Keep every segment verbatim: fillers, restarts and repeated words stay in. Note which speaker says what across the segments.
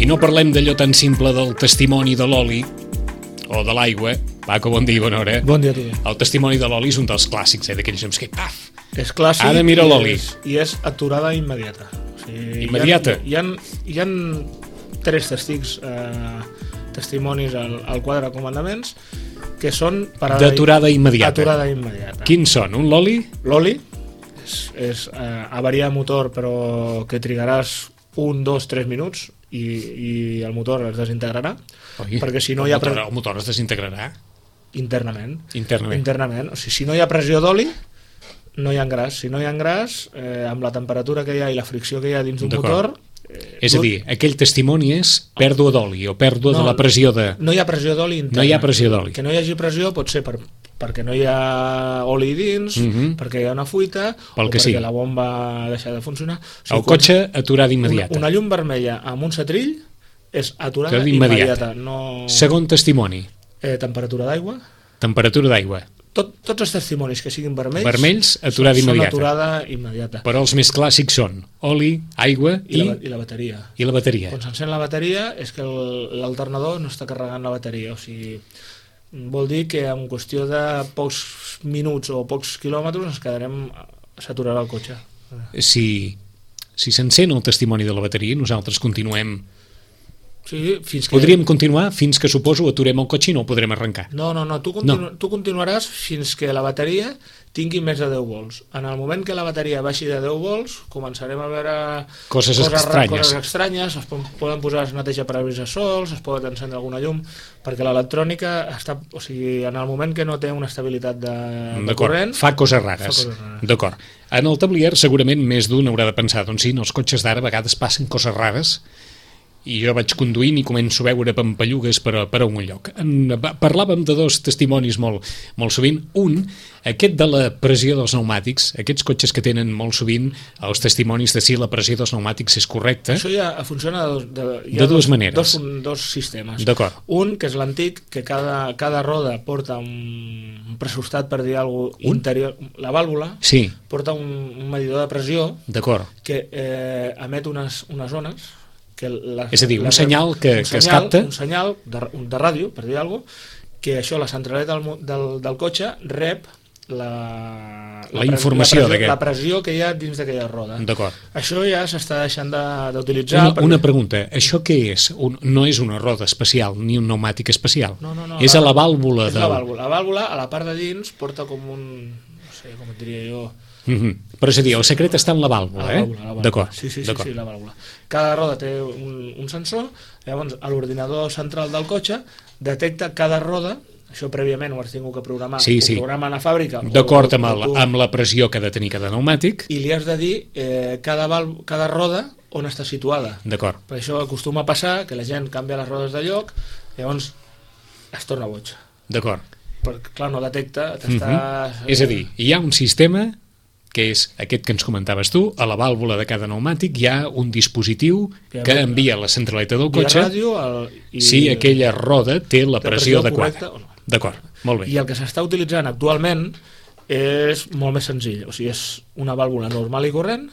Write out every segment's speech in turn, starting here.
Speaker 1: no parlem d'allò tan simple del testimoni de l'oli o de l'aigua. Paco, bon dia, bona hora.
Speaker 2: Bon dia a tu.
Speaker 1: El testimoni de l'oli és un dels clàssics, eh, d'aquells noms que, paf,
Speaker 2: és clàssic.
Speaker 1: Ara mira l'oli.
Speaker 2: I és, i és aturada immediata. O sigui,
Speaker 1: Immediata?
Speaker 2: Hi ha, hi ha, hi ha tres testics, eh, testimonis al, al quadre de comandaments que són...
Speaker 1: D'aturada immediata.
Speaker 2: Aturada immediata.
Speaker 1: Quins són? Un l'oli?
Speaker 2: L'oli és, és eh, avariar motor, però que trigaràs un, dos, tres minuts i, i el motor es desintegrarà.
Speaker 1: Oi,
Speaker 2: perquè si no
Speaker 1: el,
Speaker 2: hi ha
Speaker 1: motor, el motor es desintegrarà?
Speaker 2: Internament.
Speaker 1: Internament.
Speaker 2: Internament. O sigui, si no hi ha pressió d'oli, no hi ha engràs. Si no hi ha engràs, eh, amb la temperatura que hi ha i la fricció que hi ha dins d'un motor... Eh,
Speaker 1: és a dir, aquell testimoni és pèrdua d'oli o pèrdua no, de la pressió de...
Speaker 2: No hi ha pressió d'oli interna.
Speaker 1: No hi ha pressió d'oli.
Speaker 2: Que no hi hagi pressió pot ser per, perquè no hi ha oli dins, uh -huh. perquè hi ha una fuita,
Speaker 1: Pel
Speaker 2: o
Speaker 1: que
Speaker 2: perquè
Speaker 1: sí.
Speaker 2: la bomba ha deixat de funcionar. O sigui,
Speaker 1: el cotxe aturada immediata.
Speaker 2: Una, una llum vermella amb un setrill és aturada
Speaker 1: immediata.
Speaker 2: immediata. No...
Speaker 1: Segon testimoni.
Speaker 2: Eh, temperatura d'aigua.
Speaker 1: Temperatura d'aigua.
Speaker 2: Tot, tots els testimonis que siguin vermells,
Speaker 1: vermells aturada
Speaker 2: són,
Speaker 1: immediata.
Speaker 2: són aturada immediata.
Speaker 1: Però els més clàssics són oli, aigua i...
Speaker 2: I la, i la bateria.
Speaker 1: I la bateria.
Speaker 2: Quan s'encén la bateria és que l'alternador no està carregant la bateria. O sigui, vol dir que en qüestió de pocs minuts o pocs quilòmetres ens quedarem... s'aturarà el cotxe.
Speaker 1: Si, si s'encén el testimoni de la bateria, nosaltres continuem...
Speaker 2: Sí, fins que...
Speaker 1: Podríem continuar fins que, suposo, aturem el cotxe i no el podrem arrencar.
Speaker 2: No, no, no. Tu, continu...
Speaker 1: no.
Speaker 2: tu continuaràs fins que la bateria tingui més de deu volts. En el moment que la bateria baixi de deu volts, començarem a veure
Speaker 1: coses, coses estranyes.
Speaker 2: Coses estranyes, es poden posar es neteja parabrises sols, es pot encendre alguna llum, perquè l'electrònica està... O sigui, en el moment que no té una estabilitat de, de corrent...
Speaker 1: Fa coses rares. rares. D'acord. En el tablier segurament més d'un haurà de pensar, doncs sí, en els cotxes d'ara a vegades passen coses rares i jo vaig conduint i començo a veure pampallugues per a, per a un lloc. En, parlàvem de dos testimonis molt, molt sovint. Un, aquest de la pressió dels pneumàtics, aquests cotxes que tenen molt sovint els testimonis de si la pressió dels pneumàtics és correcta.
Speaker 2: Això ja funciona de, de,
Speaker 1: de dues
Speaker 2: dos,
Speaker 1: maneres.
Speaker 2: Dos, dos sistemes.
Speaker 1: D'acord.
Speaker 2: Un, que és l'antic, que cada, cada roda porta un, un pressustat, per dir alguna cosa, interior. La vàlvula
Speaker 1: sí.
Speaker 2: porta un, un medidor de pressió que eh, emet unes, unes ones que la,
Speaker 1: és a dir, un
Speaker 2: la,
Speaker 1: senyal que,
Speaker 2: un
Speaker 1: que
Speaker 2: senyal,
Speaker 1: es capta
Speaker 2: un senyal de, de ràdio, per dir alguna cosa, que això, la centraleta del, del, del cotxe rep la,
Speaker 1: la, la informació
Speaker 2: la pressió, la pressió que hi ha dins d'aquella roda.
Speaker 1: D'acord.
Speaker 2: Això ja s'està deixant d'utilitzar.
Speaker 1: Una, perquè... una pregunta, això què és? Un, no és una roda especial ni un pneumàtic especial?
Speaker 2: No, no, no,
Speaker 1: és
Speaker 2: la,
Speaker 1: a la vàlvula.
Speaker 2: És
Speaker 1: del...
Speaker 2: la vàlvula. La vàlvula a la part de dins porta com un... no sé, com et diria jo...
Speaker 1: Mm-hmm. Però és a dir, el secret està en la vàlvula,
Speaker 2: la vàlvula
Speaker 1: eh?
Speaker 2: La
Speaker 1: D'acord.
Speaker 2: Sí, sí, sí, sí, la vàlvula. Cada roda té un, un sensor, llavors l'ordinador central del cotxe detecta cada roda, això prèviament ho has tingut que programar,
Speaker 1: sí, sí.
Speaker 2: ho programa a la fàbrica.
Speaker 1: D'acord amb, el, amb la pressió que ha de tenir cada pneumàtic.
Speaker 2: I li has de dir eh, cada, val, cada roda on està situada.
Speaker 1: D'acord.
Speaker 2: Per això acostuma a passar que la gent canvia les rodes de lloc, llavors es torna boig.
Speaker 1: D'acord.
Speaker 2: Perquè, clar, no detecta...
Speaker 1: Mm-hmm. És a dir, hi ha un sistema que és aquest que ens comentaves tu, a la vàlvula de cada pneumàtic hi ha un dispositiu que envia a la centraleta del cotxe
Speaker 2: ràdio, el, i
Speaker 1: si aquella roda té la pressió, pressió adequada.
Speaker 2: No.
Speaker 1: D'acord, molt bé.
Speaker 2: I el que s'està utilitzant actualment és molt més senzill, o sigui, és una vàlvula normal i corrent,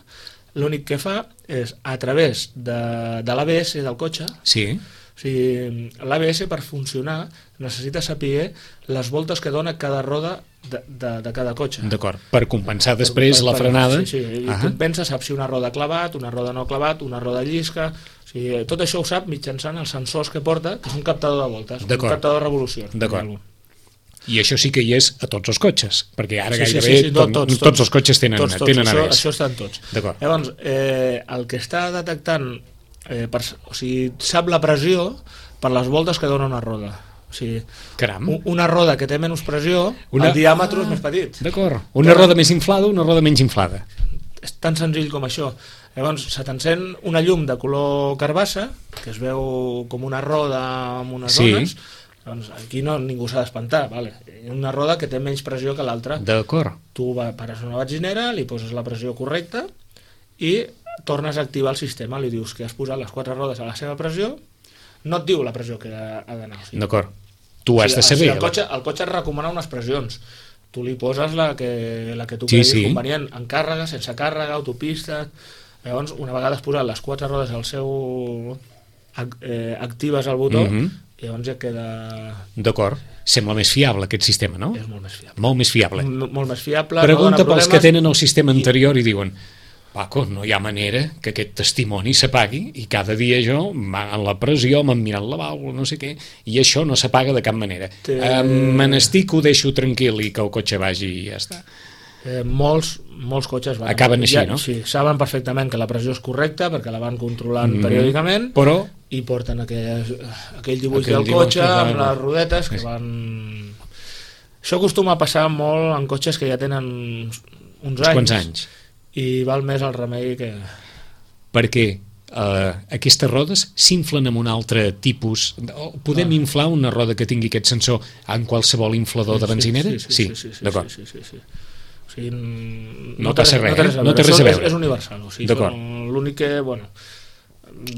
Speaker 2: l'únic que fa és, a través de, de l'A B S del cotxe,
Speaker 1: sí.
Speaker 2: O sigui, l'A B S per funcionar necessita saber les voltes que dona cada roda de, de, de cada cotxe.
Speaker 1: D'acord, per compensar després per, per, la frenada.
Speaker 2: Sí, sí, i compensa, sap si una roda clavat, una roda no clavat, una roda llisca, o sigui, tot això ho sap mitjançant els sensors que porta, que és un captador de voltes, un captador de revolucions.
Speaker 1: D'acord. I això sí que hi és a tots els cotxes, perquè ara
Speaker 2: sí,
Speaker 1: gairebé
Speaker 2: sí, sí, sí, tot,
Speaker 1: tots,
Speaker 2: tots,
Speaker 1: tots els cotxes tenen,
Speaker 2: tots, tots,
Speaker 1: tenen
Speaker 2: això,
Speaker 1: A B S.
Speaker 2: Això està en tots.
Speaker 1: D'acord.
Speaker 2: Llavors, eh, el que està detectant, eh, per, o sigui, sap la pressió per les voltes que dona una roda. O sigui,
Speaker 1: Caram.
Speaker 2: Una roda que té menys pressió, una... el diàmetre ah, és més petit.
Speaker 1: D'acord. Una Però... roda més inflada, una roda menys inflada.
Speaker 2: És tan senzill com això. Llavors, se t'encén una llum de color carbassa, que es veu com una roda amb unes
Speaker 1: sí.
Speaker 2: ones, doncs aquí no, ningú s'ha d'espantar. Vale. Una roda que té menys pressió que l'altra.
Speaker 1: D'acord.
Speaker 2: Tu pares una benzinera, li poses la pressió correcta i tornes a activar el sistema. Li dius que has posat les quatre rodes a la seva pressió, no et diu la pressió que ha d'anar. O sigui,
Speaker 1: d'acord. Tu has
Speaker 2: o sigui,
Speaker 1: de saber.
Speaker 2: O sigui, el, cotxe, el cotxe et recomana unes pressions. Tu li poses la que, la que tu
Speaker 1: sí,
Speaker 2: creguis
Speaker 1: sí.
Speaker 2: convenient, en càrrega, sense càrrega, autopista. Llavors, una vegada has posat les quatre rodes al seu, eh, actives el botó,
Speaker 1: Mhm.
Speaker 2: i llavors ja queda...
Speaker 1: D'acord. Sembla més fiable aquest sistema, no?
Speaker 2: És molt més fiable.
Speaker 1: Molt més fiable.
Speaker 2: M molt més fiable.
Speaker 1: Pregunta
Speaker 2: no
Speaker 1: pels que tenen el sistema
Speaker 2: i...
Speaker 1: anterior i diuen Paco, no hi ha manera que aquest testimoni s'apagui i cada dia jo, en la pressió, m'han mirat la vàlvula, no sé què, i això no s'apaga de cap manera.
Speaker 2: Té...
Speaker 1: Eh, me n'estic, ho deixo tranquil i que el cotxe vagi i ja està.
Speaker 2: Eh, molts, molts cotxes van,
Speaker 1: acaben així,
Speaker 2: ja,
Speaker 1: no?
Speaker 2: Sí, saben perfectament que la pressió és correcta perquè la van controlant mm -hmm. periòdicament,
Speaker 1: però
Speaker 2: i porten aquell, aquell dibuix
Speaker 1: aquell
Speaker 2: del cotxe
Speaker 1: dibuix
Speaker 2: amb
Speaker 1: de...
Speaker 2: les rodetes que
Speaker 1: sí.
Speaker 2: van... Això acostuma a passar molt en cotxes que ja tenen uns, uns anys,
Speaker 1: quants anys
Speaker 2: i val més el remei que...
Speaker 1: Perquè uh, aquestes rodes s'inflen amb un altre tipus... Podem ah. inflar una roda que tingui aquest sensor en qualsevol inflador
Speaker 2: sí,
Speaker 1: de benzinera?
Speaker 2: Sí, sí, sí, sí, sí, sí,
Speaker 1: d'acord.
Speaker 2: Sí, sí, sí. O sigui, no,
Speaker 1: no passa res,
Speaker 2: res,
Speaker 1: eh? No té res a veure.
Speaker 2: És, és universal. O sigui, l'únic que, bueno,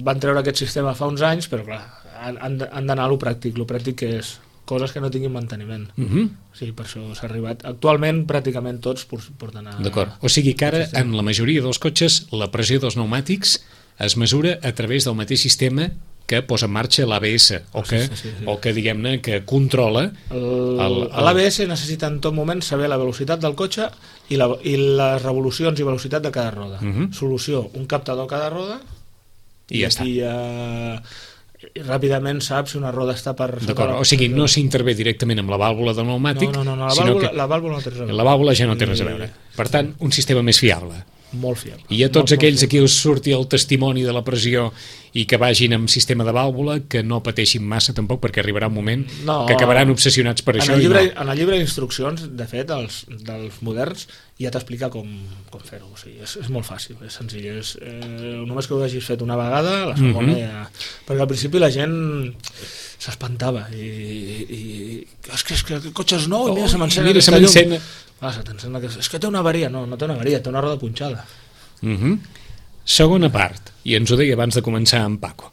Speaker 2: van treure aquest sistema fa uns anys, però clar, han, han d'anar a lo pràctic. Lo pràctic que és coses que no tinguin manteniment.
Speaker 1: Uh -huh.
Speaker 2: Sí, per això s'ha arribat. Actualment, pràcticament tots porten a...
Speaker 1: D'acord. O sigui que ara, en la majoria dels cotxes, la pressió dels pneumàtics es mesura a través del mateix sistema que posa en marxa l'A B S, o que, sí, sí, sí. o que diguem-ne, que controla...
Speaker 2: L'A B S necessita en tot moment saber la velocitat del cotxe i, la, i les revolucions i velocitat de cada roda. Uh -huh. Solució, un captador a cada roda,
Speaker 1: i, i ja està.
Speaker 2: I, uh, i ràpidament saps si una roda està per...
Speaker 1: D'acord, o sigui, no s'intervé directament amb la vàlvula del pneumàtic,
Speaker 2: no, no, no, la
Speaker 1: sinó
Speaker 2: vàlvula,
Speaker 1: que
Speaker 2: la vàlvula no té res a veure.
Speaker 1: La vàlvula ja no té res a veure. Per tant, un sistema més fiable.
Speaker 2: Molt fiable.
Speaker 1: I a tots
Speaker 2: molt,
Speaker 1: aquells
Speaker 2: molt
Speaker 1: a qui us surti el testimoni de la pressió i que vagin amb sistema de vàlvula, que no pateixin massa tampoc, perquè arribarà un moment no, que acabaran obsessionats per
Speaker 2: en
Speaker 1: això.
Speaker 2: El llibre,
Speaker 1: i no.
Speaker 2: En el llibre d'instruccions, de fet, els, dels moderns, ja t'explica com, com fer-ho. O sigui, és, és molt fàcil, és senzill. És, eh, només que ho hagis fet una vegada, la segona mm -hmm. ja... Perquè al principi la gent s'espantava i, i és que, és que el cotxe és nou i mira,
Speaker 1: oh,
Speaker 2: se m'encén
Speaker 1: aquesta llum.
Speaker 2: Ah, se t'encén aquesta... És que té una avaria. No, no té una avaria, té una roda punxada.
Speaker 1: Mm -hmm. Segona part, i ens ho deia abans de començar amb Paco,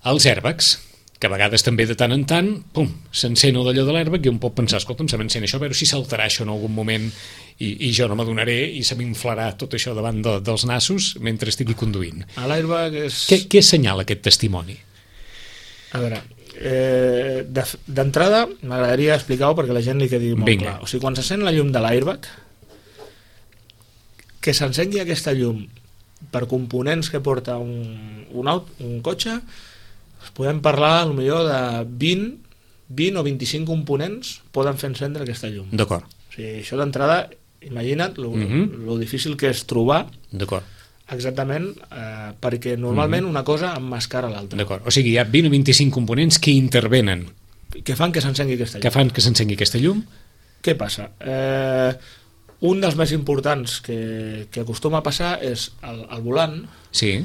Speaker 1: els airbags, que a vegades també de tant en tant, pum, s'encén d'allò de l'airbag i un pot pensar, escolta'm, se m'encén això, a veure si saltarà això en algun moment i, i jo no m'adonaré i se m'inflarà tot això davant de, dels nassos mentre estigui conduint.
Speaker 2: L'airbag és...
Speaker 1: Què, què assenyala aquest testimoni?
Speaker 2: A veure, eh, d'entrada m'agradaria explicar-ho perquè la gent li quedi molt
Speaker 1: Vinga.
Speaker 2: clar. O sigui, quan s'encén la llum de l'airbag, que s'encengui aquesta llum per components que porta un, un, aut, un cotxe, podem parlar potser de vint, vint o vint-i-cinc components poden fer encendre aquesta llum.
Speaker 1: D'acord.
Speaker 2: O sigui, això d'entrada, imagina't lo,
Speaker 1: uh -huh.
Speaker 2: lo difícil que és trobar
Speaker 1: d'acord
Speaker 2: exactament, eh, perquè normalment uh -huh. una cosa emmascara l'altra.
Speaker 1: D'acord, o sigui, hi ha vint o vint-i-cinc components que intervenen.
Speaker 2: Que fan que s'encengui aquesta llum.
Speaker 1: Que fan que s'encengui aquesta llum.
Speaker 2: Què passa? Eh, un dels més importants que, que acostuma a passar és el, el volant.
Speaker 1: Sí.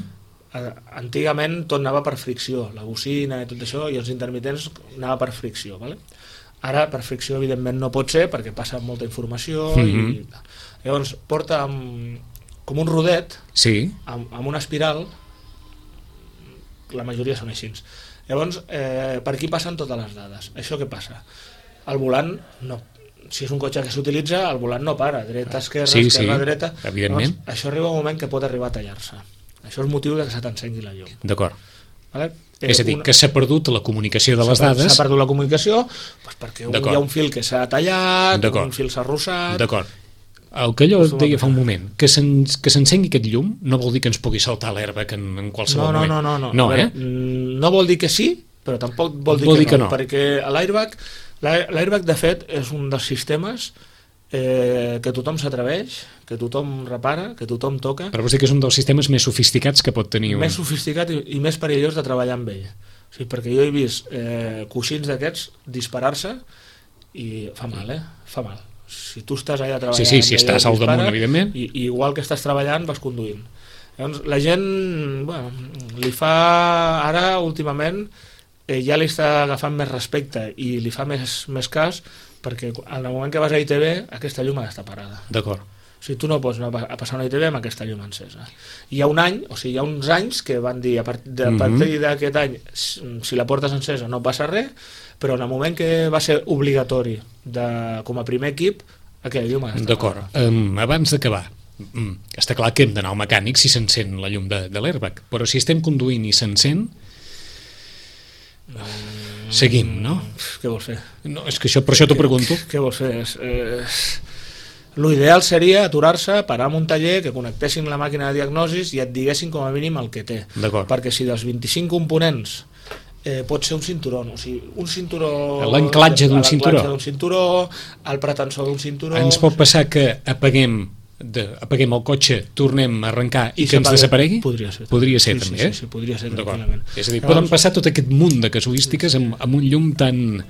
Speaker 2: Antigament tot anava per fricció, la bocina i tot això, i els intermitents anava per fricció, vale? Ara per fricció evidentment no pot ser perquè passa molta informació. Mm-hmm. I llavors porta amb, com un rodet,
Speaker 1: sí.
Speaker 2: amb, amb una espiral, la majoria són així. Llavors eh, per aquí passen totes les dades. Això què passa? El volant no, si és un cotxe que s'utilitza, el volant no para, dreta, esquerra,
Speaker 1: sí,
Speaker 2: esquerra,
Speaker 1: sí,
Speaker 2: dreta.
Speaker 1: Evidentment.
Speaker 2: Llavors, això arriba un moment que pot arribar a tallar-se. Això és motiu que se t'encengui la llum.
Speaker 1: D'acord.
Speaker 2: Vale?
Speaker 1: Eh, és a dir, una... que s'ha perdut la comunicació de les dades.
Speaker 2: S'ha perdut la comunicació doncs perquè hi ha un fil que s'ha tallat, un fil s'ha arrossat...
Speaker 1: D'acord. El que allò deia fa un moment, que s'encengui aquest llum no vol dir que ens pugui saltar l'airbag en, en qualsevol
Speaker 2: no, no,
Speaker 1: moment.
Speaker 2: No, no, no.
Speaker 1: No,
Speaker 2: veure,
Speaker 1: eh?
Speaker 2: no vol dir que sí, però tampoc vol dir,
Speaker 1: vol
Speaker 2: que,
Speaker 1: dir que
Speaker 2: no,
Speaker 1: no,
Speaker 2: perquè l'airbag, l'airbag de fet és un dels sistemes eh, que tothom s'atreveix, que tothom repara, que tothom toca.
Speaker 1: Però vols dir que és un dels sistemes més sofisticats que pot tenir un...
Speaker 2: Més sofisticat i, i més perillós de treballar amb ell. O sigui, perquè jo he vist eh, coixins d'aquests disparar-se i fa mal, eh? Fa mal. Si tu estàs allà treballant...
Speaker 1: Sí, sí, si estàs al damunt, evidentment.
Speaker 2: I, i igual que estàs treballant, vas conduint. Llavors, la gent, bueno, li fa... Ara, últimament, eh, ja li està agafant més respecte i li fa més, més cas perquè en el moment que vas a I T B, aquesta llum ha d'estar parada.
Speaker 1: D'acord.
Speaker 2: O sigui, tu no pots anar a passar una I T B amb aquesta llum encesa. I hi ha un any, o sigui, hi ha uns anys que van dir a partir d'aquest any, si la portes encesa no passa res, però en el moment que va ser obligatori de, com a primer equip, aquella llum ha d'estar
Speaker 1: D'acord. Um, abans d'acabar, um, està clar que hem d'anar al mecànic si s'encén la llum de, de l'airbag, però si estem conduint i s'encén, Seguim, no?
Speaker 2: Què vols fer?
Speaker 1: No, és que això, per això t'ho pregunto.
Speaker 2: Què vols fer? És, és... L'ideal seria aturar-se, parar en un taller, que connectessin la màquina de diagnosis i et diguessin com a mínim el que té.
Speaker 1: D'acord.
Speaker 2: Perquè si dels vint-i-cinc components eh, pot ser un cinturó, o sigui, un cinturó...
Speaker 1: L'anclatge d'un cinturó.
Speaker 2: L'anclatge d'un cinturó, el pretensor d'un cinturó...
Speaker 1: Ens pot passar que apaguem de, apaguem el cotxe, tornem a arrencar i, I que ens desaparegui?
Speaker 2: Podria ser.
Speaker 1: Podria ser,
Speaker 2: sí,
Speaker 1: també,
Speaker 2: sí,
Speaker 1: eh?
Speaker 2: Sí, sí, podria ser, tranquil·lament.
Speaker 1: És a dir, poden passar tot aquest munt de casuístiques amb, amb un llum tan...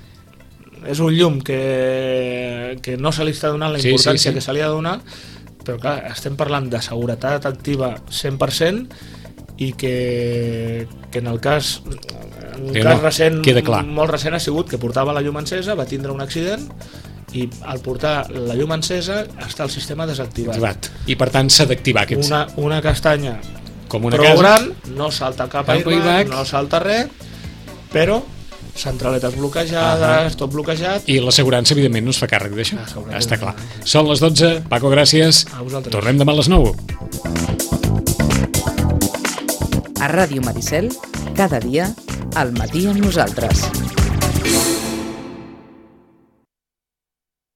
Speaker 2: És un llum que, que no se li està donant la importància sí, sí, sí. que se li ha de donar, però clar, estem parlant de seguretat activa cent per cent i que, que en el cas, en un cas no, recent, molt recent ha sigut que portava la llum encesa, va tindre un accident i al portar la llum encesa està el sistema desactivat.
Speaker 1: Activat. I per tant s'ha d'activar aquests.
Speaker 2: Una, una castanya
Speaker 1: com una
Speaker 2: prou
Speaker 1: casa.
Speaker 2: gran, no salta cap a airbag, no salta res, però centraletes bloquejades, uh-huh. tot bloquejat.
Speaker 1: I l'assegurança, evidentment, no es fa càrrec d'això. Està clar. Són les dotze. Paco, gràcies. Tornem demà a les nou.
Speaker 3: A Ràdio Maricel, cada dia, al matí amb nosaltres.